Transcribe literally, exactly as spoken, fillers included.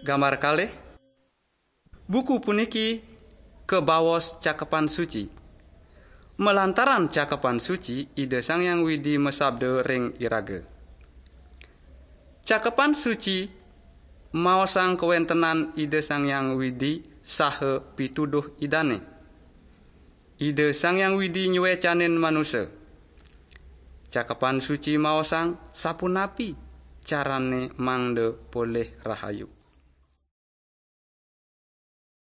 Gambar kalih, buku puniki kabaos Cakepan Suci. Malantaran Cakepan Suci, Ida Sang Hyang Widi masabda ring iraga. Cakepan Suci maosang kawentenan Ida Sang Hyang Widi saha pituduh Idane. Ida Sang Hyang Widi nyuecanin manusa. Cakepan Suci maosang sapunapi carane mangda polih rahayu.